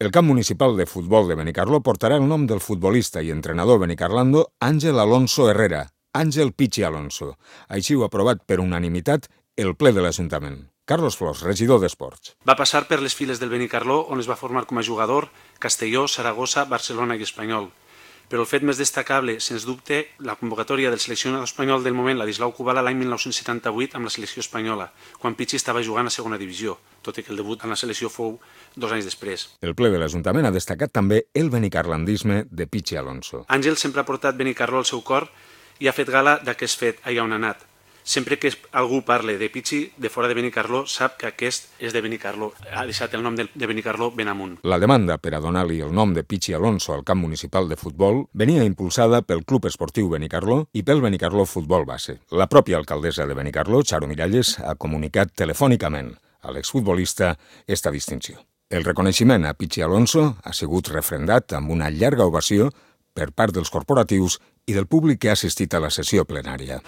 El camp municipal de futbol de Benicarló portarà el nom del futbolista i entrenador benicarlando Àngel Alonso Herrera, Àngel Pichi Alonso. Així ho ha aprovat per unanimitat el ple de l'Ajuntament. Carlos Flors, regidor d'Esports. Va passar per les files del Benicarló, on es va formar com a jugador Castelló, Saragossa, Barcelona i Espanyol. Però el fet més destacable, sens dubte, la convocatòria del seleccionador espanyol del moment, Ladislau Kubala, l'any 1978 amb la selecció espanyola, quan Pichi estava jugant a segona divisió, tot i que el debut en la selecció fou 2 anys després. El ple de l'Ajuntament ha destacat també el benicarlandisme de Pichi Alonso. Àngel sempre ha portat Benicarló al seu cor i ha fet gala d'aquest fet allà on ha anat. Sempre que algú parle de Pichi de fora de Benicarló, sap que aquest és de Benicarló. Ha deixat el nom de Benicarló ben amunt. La demanda per a donar-li el nom de Pichi Alonso al camp municipal de futbol venia impulsada pel Club Esportiu Benicarló i pel Benicarló Futbol Base. La pròpia alcaldessa de Benicarló, Charo Miralles, ha comunicat telefònicament a l'exfutbolista esta distinció. El reconeixement a Pichi Alonso ha sigut refrendat amb una llarga ovació per part dels corporatius i del públic que ha assistit a la sessió plenària.